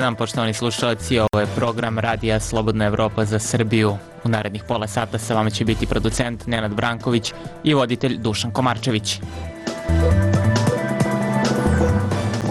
dan, poštovani slušalci, ovo je program Radija Slobodna Evropa za Srbiju. U narednih pola sata sa vama će biti producent Nenad Branković i voditelj Dušan Komarčević.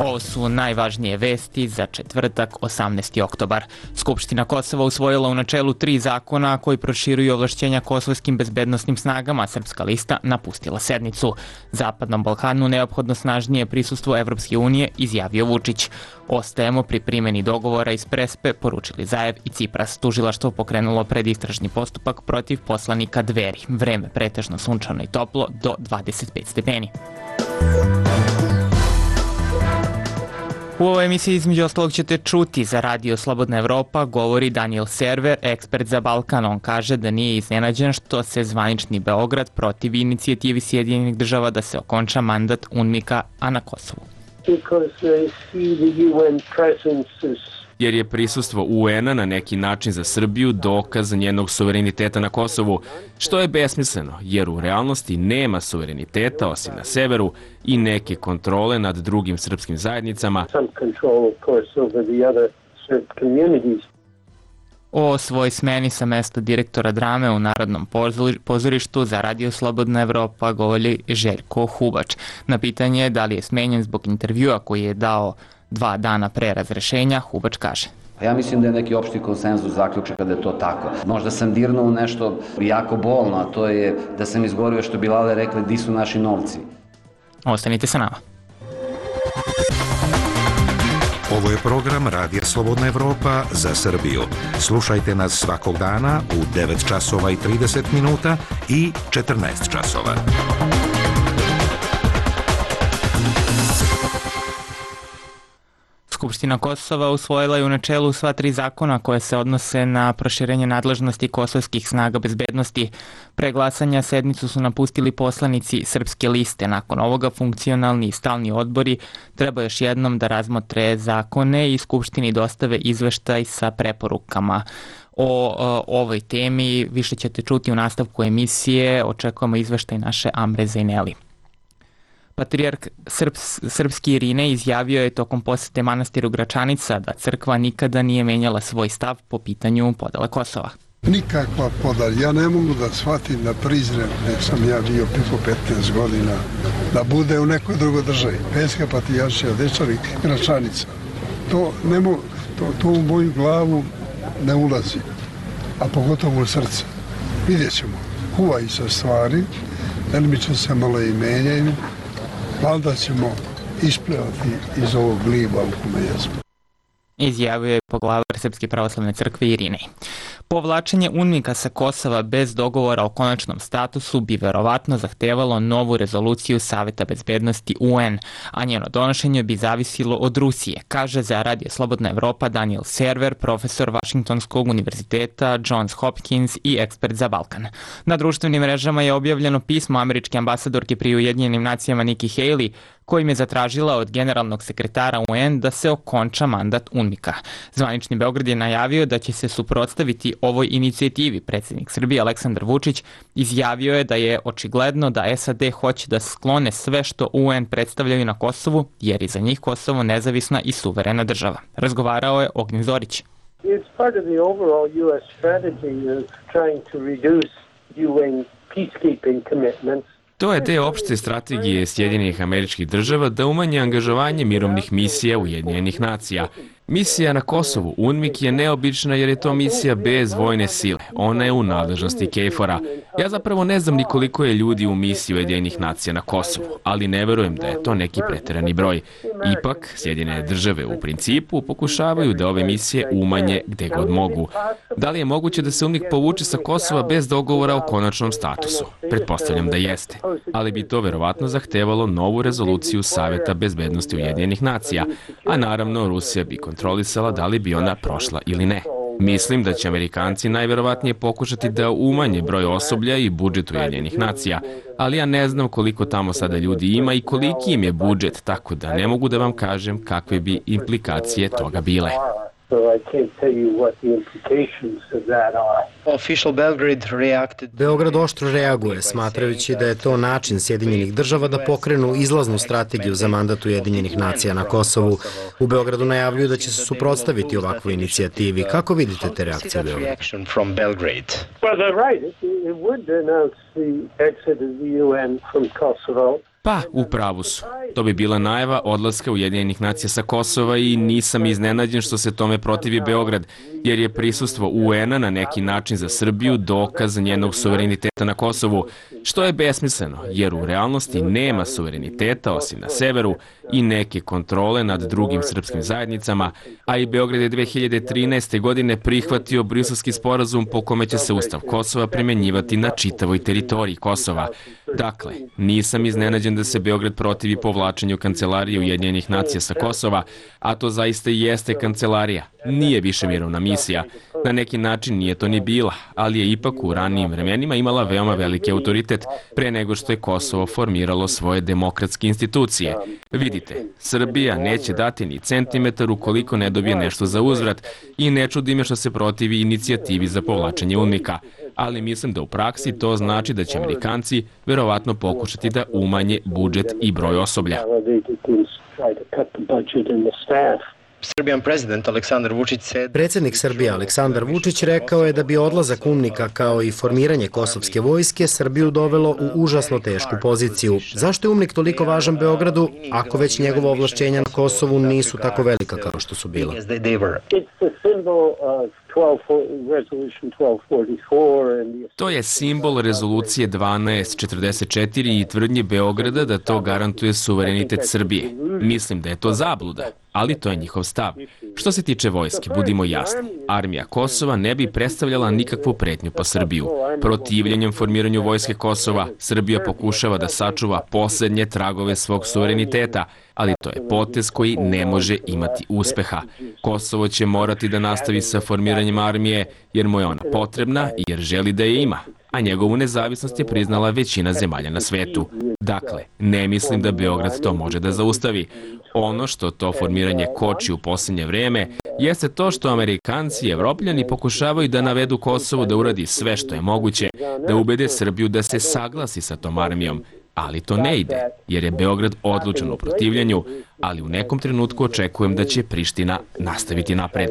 Ovo su najvažnije vesti za četvrtak, 18. oktobar. Skupština Kosova usvojila u načelu 3 zakona koji proširuju ovlašćenja kosovskim bezbednosnim snagama. Srpska lista napustila sednicu. Zapadnom Balkanu neophodno snažnije prisustvo Evropske unije, izjavio Vučić. Ostajemo pri primjeni dogovora iz Prespe, poručili Zaev i Cipras. Tužilaštvo pokrenulo predistražni postupak protiv poslanika Dveri. Vreme pretežno sunčano i toplo do 25 stepeni. U ovoj emisiji između ostalog ćete čuti za Radio Slobodna Evropa govori Daniel Server, ekspert za Balkan. On kaže da nije iznenađen što se zvanični Beograd protivi inicijativi Sjedinjenih država da se okonča mandat UNMIK-a na Kosovu. Jer je prisustvo UN-a na neki način za Srbiju dokaz njenog suvereniteta na Kosovu, što je besmisleno, jer u realnosti nema suvereniteta osim na severu i neke kontrole nad drugim srpskim zajednicama. O svoj smeni sa mesta direktora drame u Narodnom pozorištu za Radio Slobodna Evropa govori Željko Hubač. Na pitanje da li je smenjen zbog intervjua koji je dao 2 dana pre razrešenja, Hubač kaže: Ja mislim da je neki opšti konsenzus zaključaka da je to tako. Možda sam dirnuo u nešto jako bolno, a to je da sam izgovorio što bi Lale rekli di su naši novci. Ostanite sa nama. Ovo je program Radija Slobodna Evropa za Srbiju. Slušajte nas svakog dana u 9 časova i 30 minuta i 14 časova. Skupština Kosova usvojila je u načelu sva 3 zakona koje se odnose na proširenje nadležnosti kosovskih snaga bezbednosti. Pre glasanja sednicu su napustili poslanici Srpske liste. Nakon ovoga funkcionalni i stalni odbori treba još jednom da razmotre zakone i Skupštini dostave izveštaj sa preporukama. O ovoj temi više ćete čuti u nastavku emisije. Očekujemo izveštaj naše Amre Zejneli. Patrijarh srpski Irinej izjavio je tokom posete manastiru Gračanica da crkva nikada nije menjala svoj stav po pitanju podele Kosova. Nikakva podala. Ja ne mogu da shvatim, da priznam, nek sam ja bio preko 15 godina, da bude u nekoj drugoj državi. Peska patrijaršija, Dečani, Gračanica. To u moju glavu ne ulazi, a pogotovo u srce. Vidjet ćemo. Huvaju se stvari, delimično se malo i menjaju. Valjda ćemo isplivati iz ovog gliba u kome jesmo. Izjavio je poglavar Srpske pravoslavne crkve Irinej. Povlačenje UNMIK-a sa Kosova bez dogovora o konačnom statusu bi verovatno zahtevalo novu rezoluciju Saveta bezbednosti UN, a njeno donošenje bi zavisilo od Rusije, kaže za Radio Slobodna Evropa Daniel Server, profesor Vašingtonskog univerziteta Johns Hopkins i ekspert za Balkan. Na društvenim mrežama je objavljeno pismo američke ambasadorke pri Ujedinjenim nacijama Nikki Haley, kojim je zatražila od generalnog sekretara UN da se okonča mandat UNMIK-a. Zvanični Beograd je najavio da će se suprotstaviti ovoj inicijativi. Predsjednik Srbije Aleksandar Vučić izjavio je da je očigledno da SAD hoće da sklone sve što UN predstavljaju na Kosovu, jer je za njih Kosovo nezavisna i suverena država. Razgovarao je Ognjen Zorić. It's part of the overall US strategy of trying to reduce UN peacekeeping commitments. To je deo opšte strategije Sjedinjenih Američkih Država da umanje angažovanje mirovnih misija Ujedinjenih nacija. Misija na Kosovu, UNMIK, je neobična jer je to misija bez vojne sile. Ona je u nadležnosti KFOR-a. Ja zapravo ne znam ni koliko je ljudi u misiji Ujedinjenih nacija na Kosovu, ali ne verujem da je to neki preterani broj. Ipak, Sjedinjene države u principu pokušavaju da ove misije umanje gde god mogu. Da li je moguće da se UNMIK povuče sa Kosova bez dogovora o konačnom statusu? Pretpostavljam da jeste, ali bi to verovatno zahtevalo novu rezoluciju Saveta bezbednosti Ujedinjenih nacija, a naravno Rusija bi kontrolisala da li bi ona prošla ili ne. Mislim da će Amerikanci najverovatnije pokušati da umanje broj osoblja i budžet Ujedinjenih nacija, ali ja ne znam koliko tamo sada ljudi ima i koliki im je budžet, tako da ne mogu da vam kažem kakve bi implikacije toga bile. So I can't tell you what the implications of that are. Beograd oštro reaguje, smatrajući da je to način Sjedinjenih država da pokrenu izlaznu strategiju za mandat Ujedinjenih nacija na Kosovu. U Beogradu najavljuju da će se suprotstaviti ovakvoj inicijativi. Kako vidite te reakcije u Beogradu? Well, they're right. It would announce the exit of the UN from Kosovo. Pa, u pravu su. To bi bila najava odlaska Ujedinjenih nacija sa Kosova i nisam iznenađen što se tome protivi Beograd, jer je prisustvo UN-a na neki način za Srbiju dokaz njenog suvereniteta na Kosovu, što je besmisleno, jer u realnosti nema suvereniteta osim na severu i neke kontrole nad drugim srpskim zajednicama, a i Beograd je 2013. godine prihvatio Briselski sporazum po kome će se Ustav Kosova primjenjivati na čitavoj teritoriji Kosova. Dakle, nisam iznenađen da se Beograd protivi povlačenju kancelarije Ujedinjenih nacija sa Kosova, a to zaista i jeste kancelarija. Nije više mirovna misija. Na neki način nije to ni bila, ali je ipak u ranijim vremenima imala veoma veliki autoritet pre nego što je Kosovo formiralo svoje demokratske institucije. Vidite, Srbija neće dati ni centimetar ukoliko ne dobije nešto za uzvrat i ne čudi me što se protivi inicijativi za povlačenje UNMIK-a, ali mislim da u praksi to znači da će Amerikanci verovatno pokušati da umanje budžet i broj osoblja. Predsjednik Srbije Aleksandar Vučić rekao je da bi odlazak UNMIK-a kao i formiranje kosovske vojske Srbiju dovelo u užasno tešku poziciju. Zašto je UNMIK toliko važan Beogradu, ako već njegova ovlašćenja na Kosovu nisu tako velika kao što su bila? To je simbol rezolucije 1244 i tvrdnje Beograda da to garantuje suverenitet Srbije. Mislim da je to zabluda, ali to je njihov stav. Što se tiče vojske, budimo jasni, armija Kosova ne bi predstavljala nikakvu pretnju po Srbiju. Protivljenjem formiranju vojske Kosova, Srbija pokušava da sačuva poslednje tragove svog suvereniteta, ali to je potez koji ne može imati uspeha. Kosovo će morati da nastavi sa formiranjem armije jer mu je ona potrebna i jer želi da je ima, a njegovu nezavisnost je priznala većina zemalja na svetu. Dakle, ne mislim da Beograd to može da zaustavi. Ono što to formiranje koči u posljednje vreme jeste to što Amerikanci i Evropljani pokušavaju da navedu Kosovo da uradi sve što je moguće, da ubede Srbiju da se saglasi sa tom armijom. Ali to ne ide, jer je Beograd odlučan u protivljenju, ali u nekom trenutku očekujem da će Priština nastaviti napred.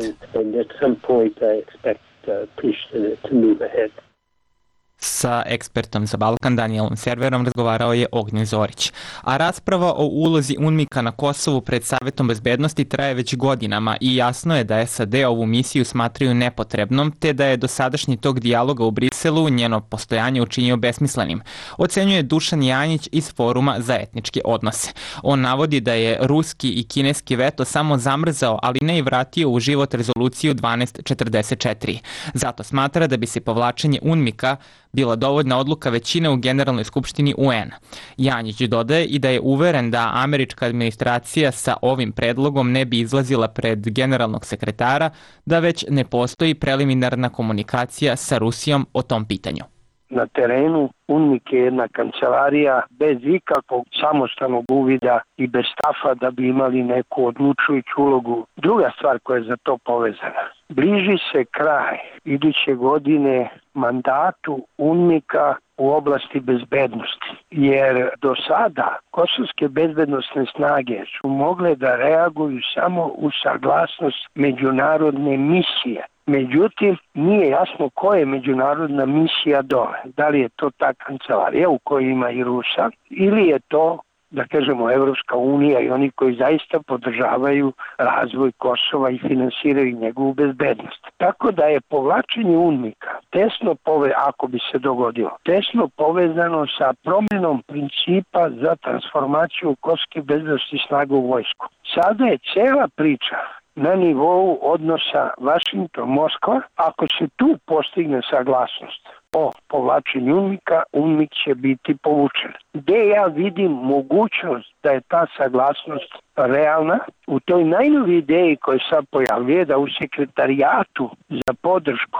Sa ekspertom za Balkan Danielom Serverom razgovarao je Ognjen Zorić. A rasprava o ulozi UNMIK-a na Kosovu pred Savetom bezbednosti traje već godinama i jasno je da SAD ovu misiju smatraju nepotrebnom, te da je dosadašnji tok dijaloga u Briselu njeno postojanje učinio besmislenim. Ocenjuje Dušan Janjić iz Foruma za etničke odnose. On navodi da je ruski i kineski veto samo zamrzao, ali ne i vratio u život rezoluciju 1244. Zato smatra da bi se povlačenje UNMIK-a bila dovoljna odluka većine u Generalnoj skupštini UN. Janjić dodaje i da je uveren da američka administracija sa ovim predlogom ne bi izlazila pred generalnog sekretara, da već ne postoji preliminarna komunikacija sa Rusijom o tom pitanju. Na terenu UNMIK je jedna kancelarija bez ikakvog samostalnog uvida i bez stafa da bi imali neku odlučujuću ulogu. Druga stvar koja je za to povezana. Bliži se kraj iduće godine mandatu UNMIK-a u oblasti bezbednosti, jer do sada kosovske bezbednosne snage su mogle da reaguju samo uz saglasnost međunarodne misije. Međutim, nije jasno koja je međunarodna misija dole. Da li je to ta kancelarija u kojoj ima i Rusa ili je to, da kažemo, Evropska unija i oni koji zaista podržavaju razvoj Kosova i finansiraju njegovu bezbednost. Tako da je povlačenje UNMIK-a tesno ako bi se dogodilo, tesno povezano sa promjenom principa za transformaciju kosovskih bezbednosnih snaga u vojsku. Sada je cela priča na nivou odnosa Vašington-Moskva. Ako se tu postigne saglasnost o povlačenju UNMIK-a, UNMIK će biti povučen. Gde ja vidim mogućnost da je ta saglasnost realna? U toj najnoviji ideji koja sad pojavljuje da u sekretarijatu za podršku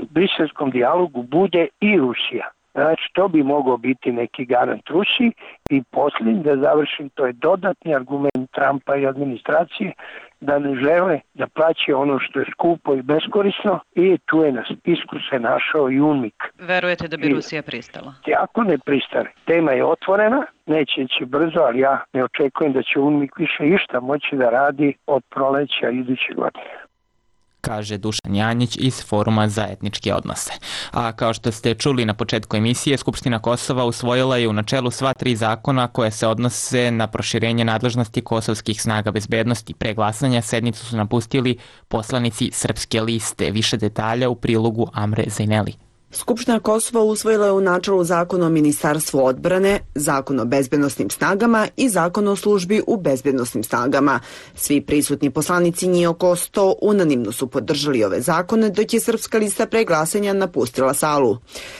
briselskom dijalogu bude i Rusija. Znači, to bi mogao biti neki garant Rusiji. I posljednji, da završim, to je dodatni argument Trumpa i administracije da ne žele da plaće ono što je skupo i beskorisno i tu je na spisku se našao i UNMIK. Verujete da bi Rusija pristala? Ako ne pristane, tema je otvorena, neće ići brzo, ali ja ne očekujem da će UNMIK više išta moći da radi od proleća iduće godine, kaže Dušan Janjić iz Foruma za etničke odnose. A kao što ste čuli na početku emisije, Skupština Kosova usvojila je u načelu sva 3 zakona koje se odnose na proširenje nadležnosti kosovskih snaga bezbednosti. Pre glasanja sednicu su napustili poslanici Srpske liste. Više detalja u prilogu Amre Zajneli. Skupština Kosova usvojila je u načelu zakon o Ministarstvu odbrane, zakon o bezbednosnim snagama i zakon o službi u bezbednosnim snagama. Svi prisutni poslanici, njih oko 100, unanimno su podržali ove zakone, dok je Srpska lista pre glasanja napustila salu.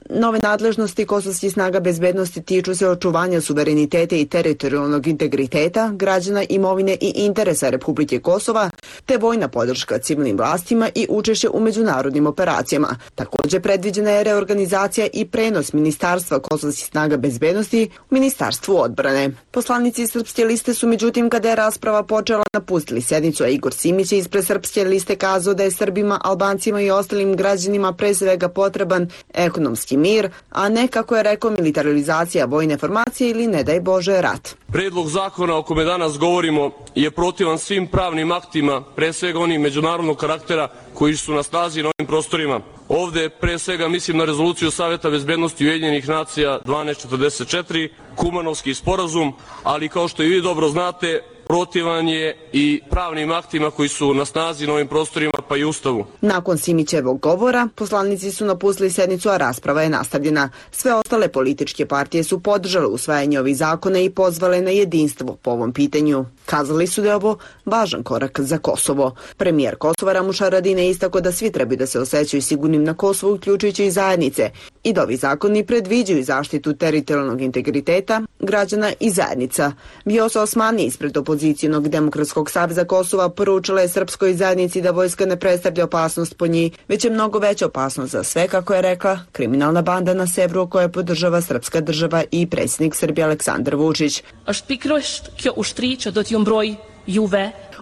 Nove nadležnosti kosovskih snaga bezbednosti tiču se očuvanja suvereniteta i teritorijalnog integriteta, građana, imovine i interesa Republike Kosova, te vojna podrška civilnim vlastima i učešće u međunarodnim operacijama. Također predviđena je reorganizacija i prenos Ministarstva kosovskih snaga bezbednosti u Ministarstvu odbrane. Poslanici Srpske liste su međutim, kada je rasprava počela, napustili sednicu, a Igor Simić je ispred Srpske liste kazao da je Srbima, Albancima i ostalim građanima pre svega potreban ekonomski mir, a ne, kako je rekao, militarizacija vojne formacije ili, ne daj Bože, rat. Predlog zakona o kome danas govorimo je protivan svim pravnim aktima, pre svega onih međunarodnog karaktera koji su na snazi na ovim prostorima. Ovde pre svega mislim na rezoluciju Saveta bezbednosti Ujedinjenih nacija 1244, Kumanovski sporazum, ali kao što i vi dobro znate, protivan je i pravnim aktima koji su na snazi na ovim prostorima, pa i Ustavu. Nakon Simićevog govora, poslanici su napustili sednicu, a rasprava je nastavljena. Sve ostale političke partije su podržale usvajanje ovih zakona i pozvale na jedinstvo po ovom pitanju. Kazali su da je ovo važan korak za Kosovo. Premijer Kosova Ramuš Haradinaj istakao da svi trebaju da se osjećaju sigurnim na Kosovu, uključujući i zajednice, i da ovi zakoni predviđaju zaštitu teritorijalnog integriteta građana i zajednica. Vjosa Osmani ispred Opozicijonog demokratskog saveza Kosova poručila je srpskoj zajednici da vojska ne predstavlja opasnost po njih, već je mnogo veća opasnost za sve, kako je rekla, kriminalna banda na severu koja podržava srpska država i predsjednik Srbije Aleksandar Vučić.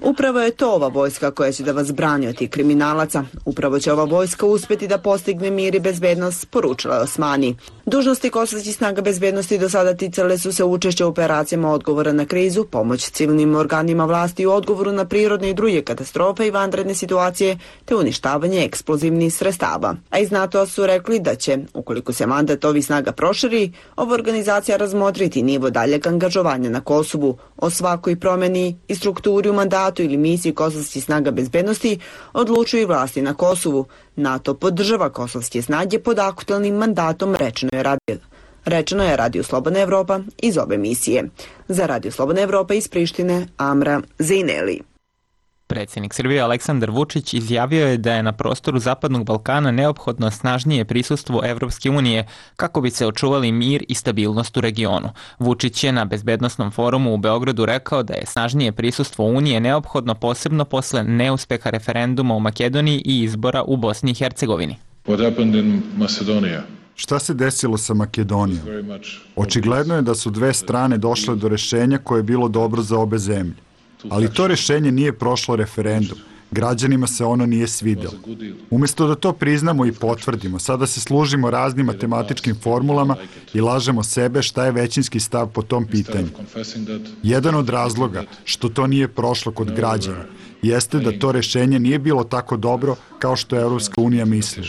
Upravo je to ova vojska koja će da vas brani od tih kriminalaca. Upravo će ova vojska uspjeti da postigne mir i bezbednost, poručila je Osmani. Dužnosti kosovskih snaga bezbednosti do sada ticale su se učešća u operacijama odgovora na krizu, pomoć civilnim organima vlasti u odgovoru na prirodne i druge katastrofe i vanredne situacije, te uništavanje eksplozivnih sredstava. A iz NATO su rekli da će, ukoliko se mandat ovih snaga proširi, ova organizacija razmotriti nivo daljeg angažovanja na Kosovu. O svakoj promjeni i strukturi u mandatu ili misiji kosovskih snaga bezbednosti odlučuju i vlasti na Kosovu. NATO podržava kosovske snage pod aktualnim mandatom, rečeno je Radio Slobodna Evropa iz ove misije. Za Radio Slobodna Evropa iz Prištine, Amra Zajneli. Predsjednik Srbije Aleksandar Vučić izjavio je da je na prostoru Zapadnog Balkana neophodno snažnije prisustvo Evropske unije kako bi se očuvali mir i stabilnost u regionu. Vučić je na bezbednosnom forumu u Beogradu rekao da je snažnije prisustvo Unije neophodno posebno posle neuspeha referenduma u Makedoniji i izbora u Bosni i Hercegovini. Šta se desilo sa Makedonijom? Očigledno je da su dve strane došle do rešenja koje je bilo dobro za obe zemlje. Ali to rešenje nije prošlo referendum. Građanima se ono nije svidelo. Umjesto da to priznamo i potvrdimo, sada se služimo raznim matematičkim formulama i lažemo sebe šta je većinski stav po tom pitanju. Jedan od razloga što to nije prošlo kod građana jeste da to rešenje nije bilo tako dobro kao što je Evropska unija mislila.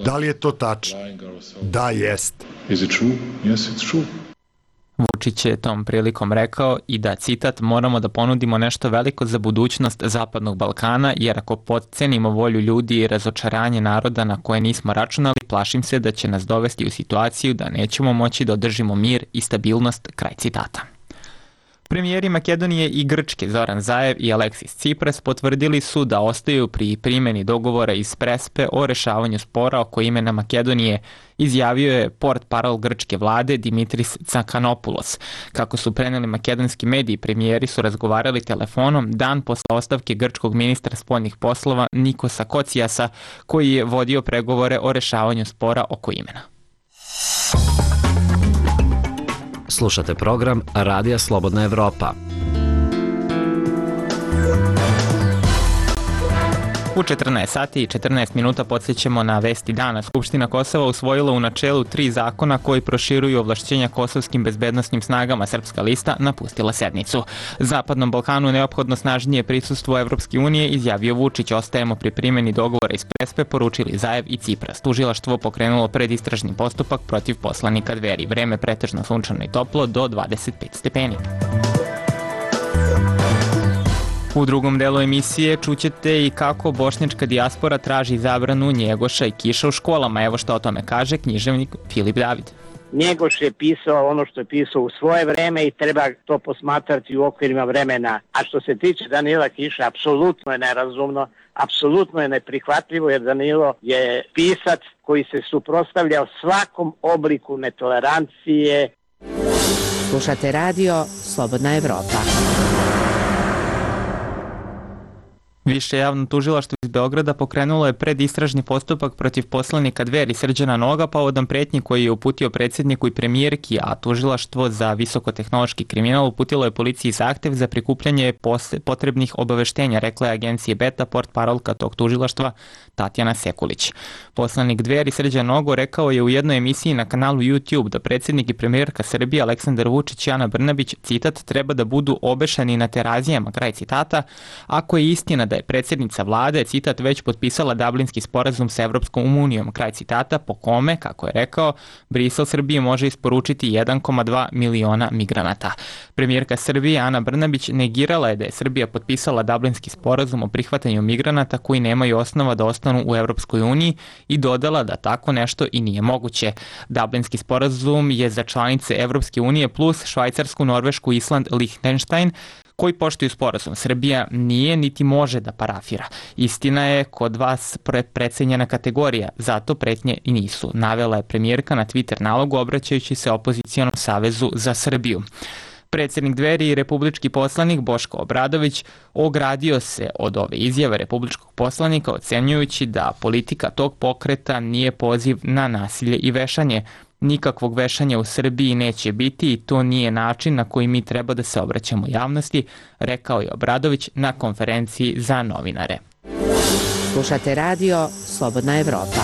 Da li je to tačno? Da, jeste. Vučić je tom prilikom rekao i da, citat, moramo da ponudimo nešto veliko za budućnost Zapadnog Balkana, jer ako podcenimo volju ljudi i razočaranje naroda na koje nismo računali, plašim se da će nas dovesti u situaciju da nećemo moći da održimo mir i stabilnost, kraj citata. Premijeri Makedonije i Grčke Zoran Zaev i Aleksis Tsipras potvrdili su da ostaju pri primjeni dogovora iz Prespe o rešavanju spora oko imena Makedonije, izjavio je portparol grčke vlade Dimitris Tsakanopoulos. Kako su preneli makedonski mediji, premijeri su razgovarali telefonom dan posle ostavke grčkog ministra spoljnih poslova Nikosa Kocijasa, koji je vodio pregovore o rešavanju spora oko imena. Slušate program Radija Slobodna Evropa. U 14 sati i 14 minuta podsjećamo na vesti dana. Skupština Kosova usvojila u načelu 3 zakona koji proširuju ovlašćenja kosovskim bezbednosnim snagama. Srpska lista napustila sednicu. Zapadnom Balkanu neophodno snažnije prisustvo Evropske unije, izjavio Vučić. Ostajemo pri primjeni dogovora iz Prespe, poručili Zajev i Cipras. Tužilaštvo pokrenulo predistražni postupak protiv poslanika Dveri. Vreme pretežno sunčano i toplo do 25 stepeni. U drugom delu emisije čućete i kako bošnjačka dijaspora traži zabranu Njegoša i Kiša u školama. Evo što o tome kaže književnik Filip David. Njegoš je pisao ono što je pisao u svoje vreme i treba to posmatrati u okvirima vremena. A što se tiče Danila Kiša, apsolutno je nerazumno, apsolutno je neprihvatljivo, jer Danilo je pisac koji se suprotstavljao svakom obliku netolerancije. Slušate radio Slobodna Evropa. Više javno tužilaštvo iz Beograda pokrenulo je predistražni postupak protiv poslanika Dveri Srđana Noga povodom pretnji koji je uputio predsjedniku i premijerki, a tužilaštvo za visokotehnološki kriminal uputilo je policiji zahtev za prikupljanje potrebnih obaveštenja, rekla je agencije Beta, portparolka tog tužilaštva Tatjana Sekulić. Poslanik Dveri Srđan Nogo rekao je u jednoj emisiji na kanalu YouTube da predsjednik i premijerka Srbije Aleksandar Vučić i Ana Brnabić, citat, treba da budu obešani na terazijama, kraj citata, ako je istina da je predsjednica vlade, citat, već potpisala Dublinski sporazum sa Evropskom unijom, kraj citata, po kome, kako je rekao, Brisel Srbije može isporučiti 1,2 miliona migranata. Premijerka Srbije Ana Brnabić negirala je da je Srbija potpisala Dublinski sporazum o prihvatanju migranata koji nemaju osnova da ostanu u Evropskoj uniji i dodala da tako nešto i nije moguće. Dublinski sporazum je za članice Evropske unije plus Švajcarsku, Norvešku, Island, Lichtenstein, koji poštuju sporazum. Srbija nije niti može da parafira. Istina je kod vas precenjena kategorija, zato pretnje i nisu, navela je premijerka na Twitter nalogu obraćajući se Opozicijonom savezu za Srbiju. Predsjednik Dveri i republički poslanik Boško Obradović ogradio se od ove izjave republičkog poslanika, ocenjujući da politika tog pokreta nije poziv na nasilje i vešanje. Nikakvog vešanja u Srbiji neće biti i to nije način na koji mi treba da se obraćamo javnosti, rekao je Obradović na konferenciji za novinare. Slušate radio Slobodna Evropa.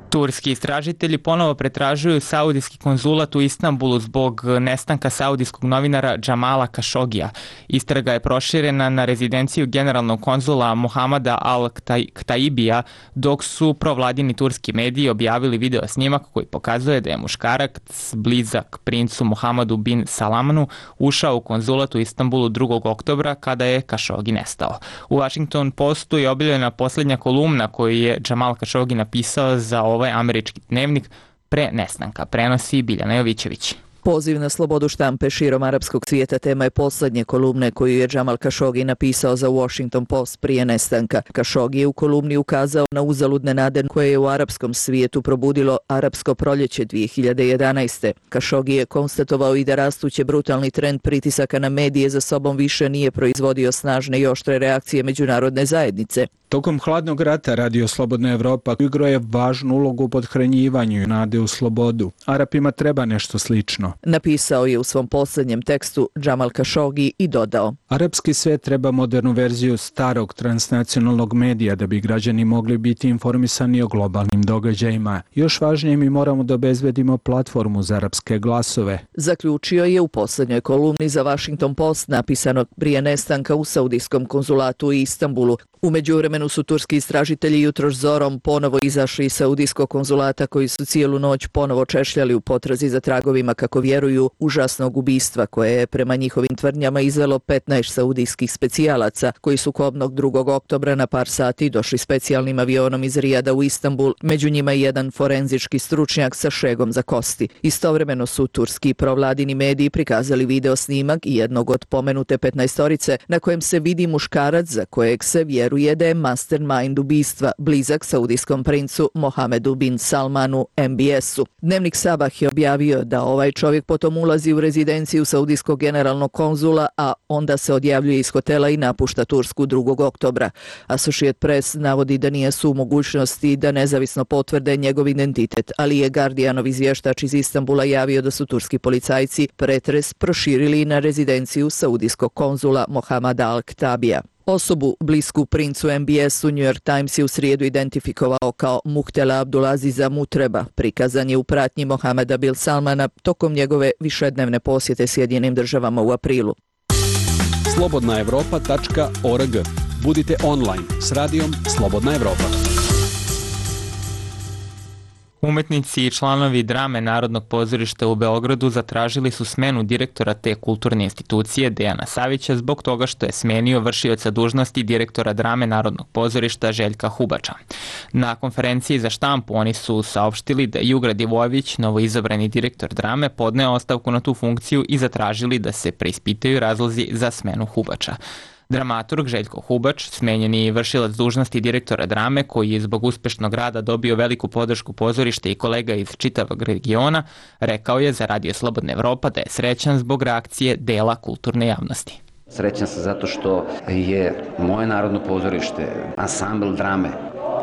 Turski istražitelji ponovo pretražuju saudijski konzulat u Istanbulu zbog nestanka saudijskog novinara Džamala Kašogija. Istraga je proširena na rezidenciju generalnog konzula Mohamada Al-Ktaibija, dok su provladini turski mediji objavili video snimak koji pokazuje da je muškarac blizak princu Mohamadu bin Salamanu ušao u konzulat u Istanbulu 2. oktobra kada je Kašogi nestao. U Washington Postu je objavljena posljednja kolumna koju je Džamal Kašogi napisao za ovaj američki dnevnik pre nestanka, prenosi Biljana Jovićević. Poziv na slobodu štampe širom arapskog svijeta tema je posljednje kolumne koju je Džamal Kašogi napisao za Washington Post prije nestanka. Kašogi je u kolumni ukazao na uzaludne nade koje je u arapskom svijetu probudilo arapsko proljeće 2011. Kašogi je konstatovao i da rastući brutalni trend pritisaka na medije za sobom više nije proizvodio snažne i oštre reakcije međunarodne zajednice. Tokom hladnog rata Radio Slobodna Evropa igrao je važnu ulogu u podhranjivanju nade u slobodu. Arapima treba nešto slično. Napisao je u svom posljednjem tekstu Džamal Kašogi i dodao: Arapski svijet treba modernu verziju starog transnacionalnog medija da bi građani mogli biti informisani o globalnim događajima. Još važnije, mi moramo da obezbedimo platformu za arapske glasove. Zaključio je u posljednjoj kolumni za Washington Post napisanog prije nestanka u saudijskom konzulatu u Istanbulu. U međuvremenu su turski istražitelji jutros zorom ponovo izašli iz saudijskog konzulata koji su cijelu noć ponovo češljali u potrazi za tragovima, kako vjeruju, užasnog ubistva koje je prema njihovim tvrdnjama izvelo 15 saudijskih specijalaca koji su kobnog 2. oktobra na par sati došli specijalnim avionom iz Rijada u Istanbul, među njima i jedan forenzički stručnjak sa šegom za kosti. Istovremeno su turski provladini mediji prikazali video snimak jednog od pomenute 15-orice na kojem se vidi muškarac za kojeg se vjeruje da je mastermind ubistva, blizak saudijskom princu Mohamedu bin Salmanu MBS-u. Dnevnik Sabah je objavio da ovaj čovjek Čovjek potom ulazi u rezidenciju saudijskog generalnog konzula, a onda se odjavljuje iz hotela i napušta Tursku 2. oktobra. Associated Press navodi da nije su u mogućnosti da nezavisno potvrde njegov identitet, ali je Guardianov izvještač iz Istanbula javio da su turski policajci pretres proširili na rezidenciju saudijskog konzula Mohamada Al-Ktabija. Osobu blisku princu MBS-u New York Times je u srijedu identifikovao kao Muhtela Abdulaziza Mutreba. Prikazan je u pratnji Mohameda bin Salmana tokom njegove višednevne posjete Sjedinjenim državama u aprilu. slobodnaevropa.org. Budite online s radijom Slobodna Evropa. Umetnici i članovi drame Narodnog pozorišta u Beogradu zatražili su smenu direktora te kulturne institucije Dejana Savića zbog toga što je smenio vršioca dužnosti direktora drame Narodnog pozorišta Željka Hubača. Na konferenciji za štampu oni su saopštili da Jugra Divojević, novoizabrani direktor drame, podneo ostavku na tu funkciju i zatražili da se preispitaju razlozi za smenu Hubača. Dramaturg Željko Hubač, smenjeni vršilac dužnosti direktora drame, koji je zbog uspešnog rada dobio veliku podršku pozorišta i kolega iz čitavog regiona, rekao je za Radio Slobodna Evropa da je srećan zbog reakcije dela kulturne javnosti. Srećan sam zato što je moje Narodno pozorište, ansambl drame,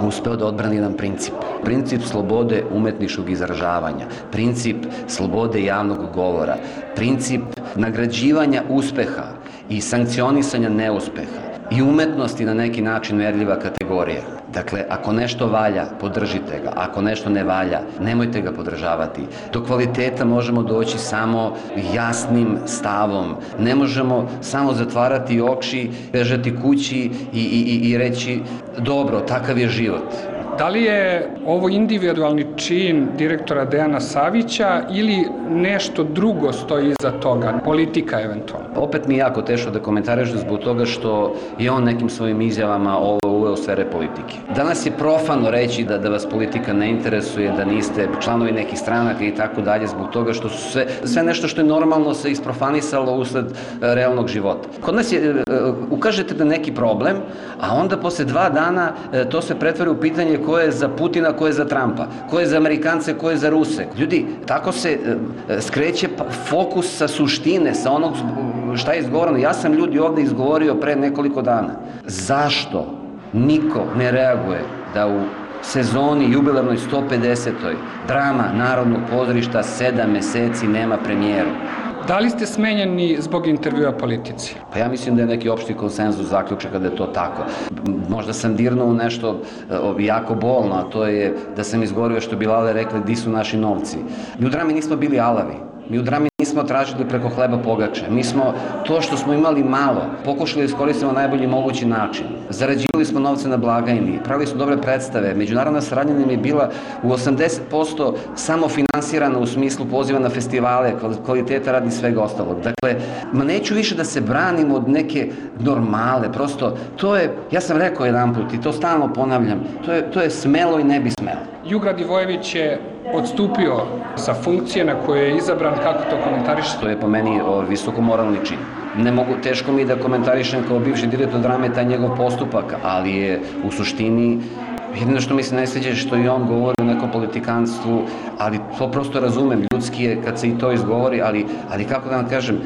uspeo da odbrani jedan princip. Princip slobode umetničkog izražavanja, princip slobode javnog govora, princip nagrađivanja uspeha i sankcionisanja neuspeha i umetnosti na neki način merljiva kategorija. Dakle, ako nešto valja, podržite ga. Ako nešto ne valja, nemojte ga podržavati. Do kvaliteta možemo doći samo jasnim stavom. Ne možemo samo zatvarati oči, bežati kući i reći dobro, takav je život. Da li je ovo individualni čin direktora Dejana Savića ili nešto drugo stoji iza toga, politika eventualno? Opet mi je jako teško da komentarišem zbog toga što je on nekim svojim izjavama ovo uveo sfere politike. Danas je profano reći da vas politika ne interesuje, da niste članovi nekih stranaka i tako dalje, zbog toga što su sve nešto što je normalno se isprofanisalo usled realnog života. Kod nas je, ukažete na neki problem, a onda posle 2 dana to se pretvori u pitanje ko je za Putina, ko je za Trumpa, ko je za Amerikance, ko je za Ruse. Ljudi, tako se skreće fokus sa suštine, sa onog šta je izgovoreno. Ja sam ljudi ovde izgovorio pre nekoliko dana. Zašto niko ne reaguje da u sezoni jubilarnoj 150. drama Narodnog pozorišta 7 meseci nema premijeru? Da li ste smenjeni zbog intervjua politici? Pa ja mislim da je neki opšti konsenzus zaključaka da je to tako. Možda sam dirnuo u nešto jako bolno, a to je da sam izgovorio što bi Lale rekli di su naši novci. Mi u drami nismo bili alavi. Mi u drami nismo tražili preko hleba pogače. Mi smo to što smo imali malo pokušali da iskoristimo na najbolji mogući način. Zarađivali smo novce na blagajni, pravili smo dobre predstave. Međunarodna saradnja nam je bila u 80% samo finansirana u smislu poziva na festivale, kvaliteta radi svega ostalog. Dakle, neću više da se branim od neke normale. Prosto, to je, ja sam rekao jedanput i to stalno ponavljam, to je smelo i ne bi smelo. Jugra Divojević je odstupio sa funkcije na koje je izabran, kako to komentarišete? To je po meni visoko moralni čin. Teško mi da komentarišem kao bivši direktor drame taj njegov postupak, ali je u suštini jedino što mi se ne sviđa što i on govori o nekom politikanstvu, ali to prosto razumem, ljudski je kad se i to izgovori, ali kako da vam kažem,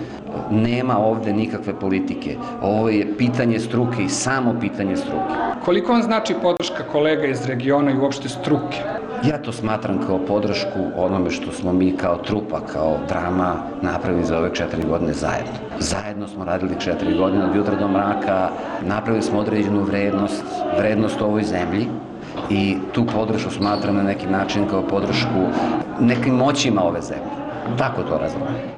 nema ovde nikakve politike. Ovo je pitanje struke i samo pitanje struke. Koliko vam znači podrška kolega iz regiona i uopšte struke? Ja to smatram kao podršku onome što smo mi kao trupa, kao drama napravili za ove 4 godine zajedno. Zajedno smo radili 4 godine od jutra do mraka, napravili smo određenu vrednost ovoj zemlji i tu podršku smatram na neki način kao podršku nekim moćima ove zemlje. Tako to razumem.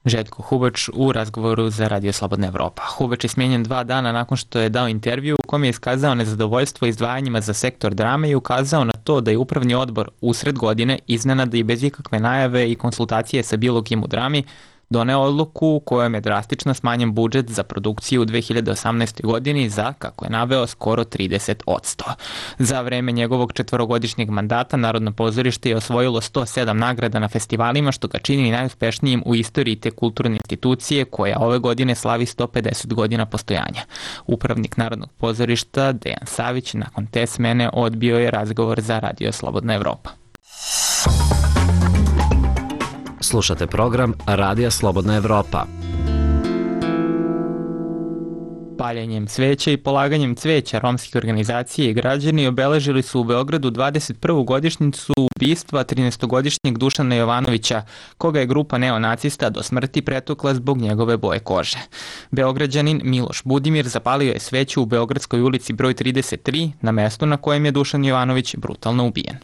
Željko Hubač u razgovoru za Radio Slobodna Evropa. Hubač je smijenjen 2 dana nakon što je dao intervju u kom je iskazao nezadovoljstvo izdvajanjima za sektor drame i ukazao na to da je upravni odbor usred godine iznenada i bez ikakve najave i konsultacije sa bilo kim u drami doneo odluku u kojom je drastično smanjen budžet za produkciju u 2018. godini za, kako je naveo, skoro 30%. Za vreme njegovog 4-godišnjeg mandata Narodno pozorište je osvojilo 107 nagrada na festivalima, što ga čini najuspešnijim u istoriji te kulturne institucije koja ove godine slavi 150 godina postojanja. Upravnik Narodnog pozorišta Dejan Savić nakon te smene odbio je razgovor za Radio Slobodna Evropa. Slušate program Radija Slobodna Evropa. Paljenjem sveća i polaganjem cveća romskih organizacija i građani obeležili su u Beogradu 21. godišnjicu ubistva 13-godišnjeg Dušana Jovanovića, koga je grupa neonacista do smrti pretukla zbog njegove boje kože. Beograđanin Miloš Budimir zapalio je sveću u Beogradskoj ulici broj 33, na mestu na kojem je Dušan Jovanović brutalno ubijen.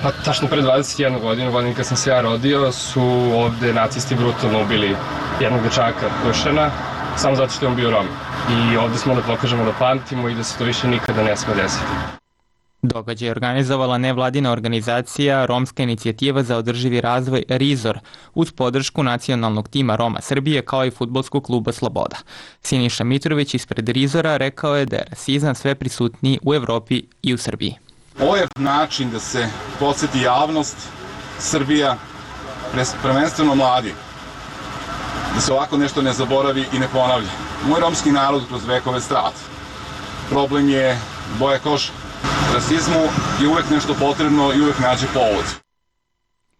Pa tačno pre 21 godinu, godinu kad sam se ja rodio, su ovde nacisti brutalno ubili jednog dečaka Dušana, samo zato što je on bio Rom. I ovde smo da pokažemo da pamtimo i da se to više nikada ne sme desiti. Događaj je organizovala nevladina organizacija Romska inicijativa za održivi razvoj RIZOR uz podršku nacionalnog tima Roma Srbije kao i fudbalskog kluba Sloboda. Siniša Mitrović ispred RIZOR-a rekao je da je rasizam sve prisutniji u Evropi i u Srbiji. Ovo je način da se podsjeti javnost, Srbija, prvenstveno mladi, da se ovako nešto ne zaboravi i ne ponavlja. Moj romski narod kroz vekove strada. Problem je boja kože. Rasizmu je uvek nešto potrebno i uvek nađe povod.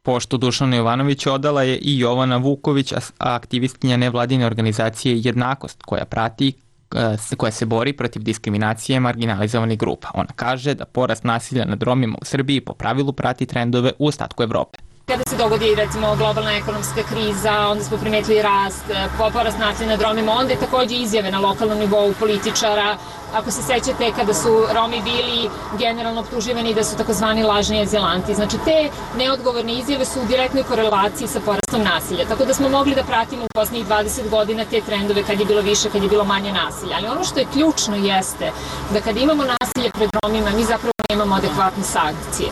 Poštu Dušanu Jovanoviću odala je i Jovana Vuković, aktivistkinja nevladine organizacije Jednakost, koja se bori protiv diskriminacije marginalizovanih grupa. Ona kaže da porast nasilja nad Romima u Srbiji po pravilu prati trendove u ostatku Evrope. Kada se dogodi recimo globalna ekonomska kriza, onda smo primetili rast, porast nasilja nad Romima, onda je takođe izjave na lokalnom nivou političara. Ako se sećate kada su Romi bili generalno optuživani da su takozvani lažni azilanti. Znači te neodgovorne izjave su u direktnoj korelaciji sa porastom nasilja. Tako da smo mogli da pratimo u poslednjih 20 godina te trendove kad je bilo više, kad je bilo manje nasilja. Ali ono što je ključno jeste da kad imamo nasilje pred Romima, mi zapravo nemamo adekvatne sankcije.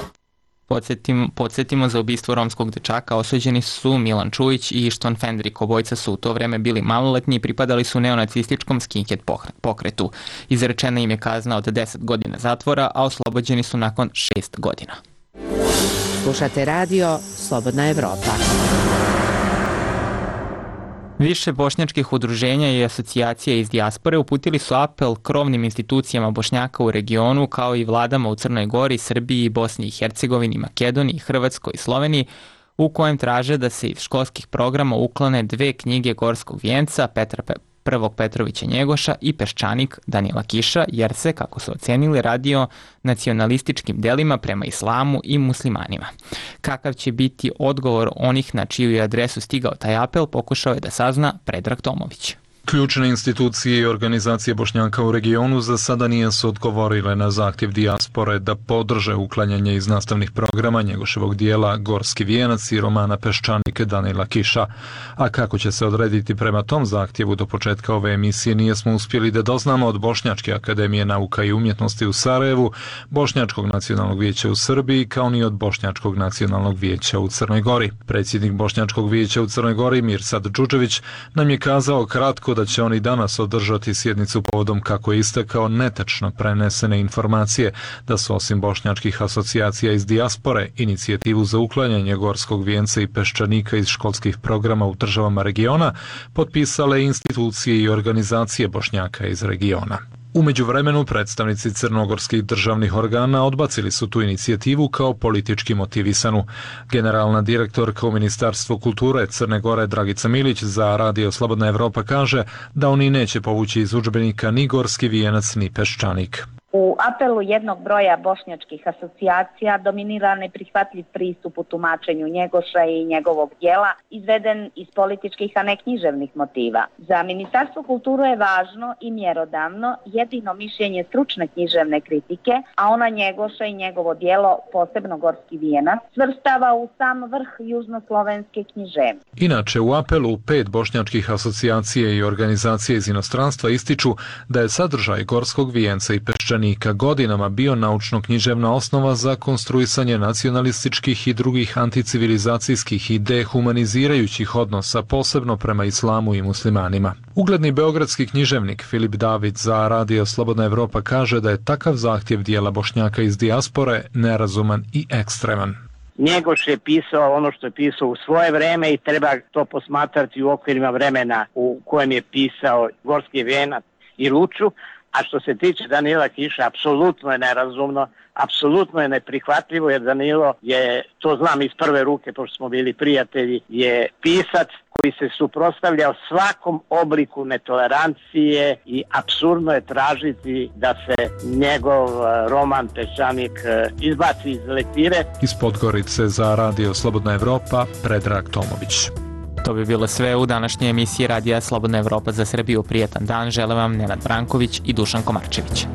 Podsjetimo, za ubistvo romskog dečaka osuđeni su Milan Čujić i Ištván Fendrik. Obojca su u to vreme bili maloletni i pripadali su neonacističkom skinhead pokretu. Izrečena im je kazna od 10 godina zatvora, a oslobođeni su nakon 6 godina. Slušate radio Slobodna Evropa. Više bošnjačkih udruženja i asocijacija iz dijaspore uputili su apel krovnim institucijama Bošnjaka u regionu kao i vladama u Crnoj Gori, Srbiji, Bosni i Hercegovini, Makedoniji, Hrvatskoj i Sloveniji, u kojem traže da se iz školskih programa uklone 2 knjige Gorskog vijenca Petra Prvog Petrovića Njegoša i Peščanik Danila Kiša, jer se, kako su ocenili, radi o nacionalističkim delima prema islamu i muslimanima. Kakav će biti odgovor onih na čiju je adresu stigao taj apel, pokušao je da sazna Predrag Tomović. Ključne institucije i organizacije Bošnjaka u regionu za sada nisu odgovorile na zahtjev dijaspore da podrže uklanjanje iz nastavnih programa Njegoševog dijela Gorski vijenac i romana Peščanik Danila Kiša. A kako će se odrediti prema tom zahtjevu do početka ove emisije nijesmo uspjeli da doznamo od Bošnjačke akademije nauka i umjetnosti u Sarajevu, Bošnjačkog nacionalnog vijeća u Srbiji, kao ni od Bošnjačkog nacionalnog vijeća u Crnoj Gori. Predsjednik Bošnjačkog vijeća u Crnoj Gori Mirsad Džudžević nam je kazao kratko da će oni danas održati sjednicu povodom, kako je istakao, netačno prenesene informacije da su osim bošnjačkih asocijacija iz dijaspore inicijativu za uklanjanje Gorskog vijenca i Peščanika iz školskih programa u državama regiona potpisale institucije i organizacije Bošnjaka iz regiona. U međuvremenu predstavnici crnogorskih državnih organa odbacili su tu inicijativu kao politički motivisanu. Generalna direktorka u Ministarstvu kulture Crne Gore Dragica Milić za Radio Slobodna Evropa kaže da oni neće povući iz udžbenika ni Gorski vijenac ni Peščanik. U apelu jednog broja bošnjačkih asocijacija dominira neprihvatljiv pristup u tumačenju Njegoša i njegovog dijela, izveden iz političkih, a ne književnih motiva. Za Ministarstvo kulture je važno i mjerodavno jedino mišljenje stručne književne kritike, a ona Njegoša i njegovo dijelo, posebno Gorski vijenac, svrstava u sam vrh južnoslovenske književnosti. Inače, u apelu 5 bošnjačkih asocijacija i organizacije iz inostranstva ističu da je sadržaj Gorskog vijenca i Peščanika godinama bio naučno-književna osnova za konstruisanje nacionalističkih i drugih anticivilizacijskih i dehumanizirajućih odnosa, posebno prema islamu i muslimanima. Ugledni beogradski književnik Filip David za Radio Slobodna Evropa kaže da je takav zahtjev dijela Bošnjaka iz dijaspore nerazuman i ekstreman. Njegoš je pisao ono što je pisao u svoje vreme i treba to posmatrati u okvirima vremena u kojem je pisao Gorski vijenac i Luču. A što se tiče Danila Kiša, apsolutno je nerazumno, apsolutno je neprihvatljivo, jer Danilo je, to znam iz prve ruke, pošto smo bili prijatelji, je pisac koji se suprotstavljao svakom obliku netolerancije i apsurdno je tražiti da se njegov roman Peščanik izbaci iz lektire. Iz Podgorice za Radio Slobodna Evropa, Predrag Tomović. To bi bilo sve u današnjoj emisiji Radija Slobodna Evropa za Srbiju. Prijatan dan žele vam Nenad Branković i Dušan Komarčević.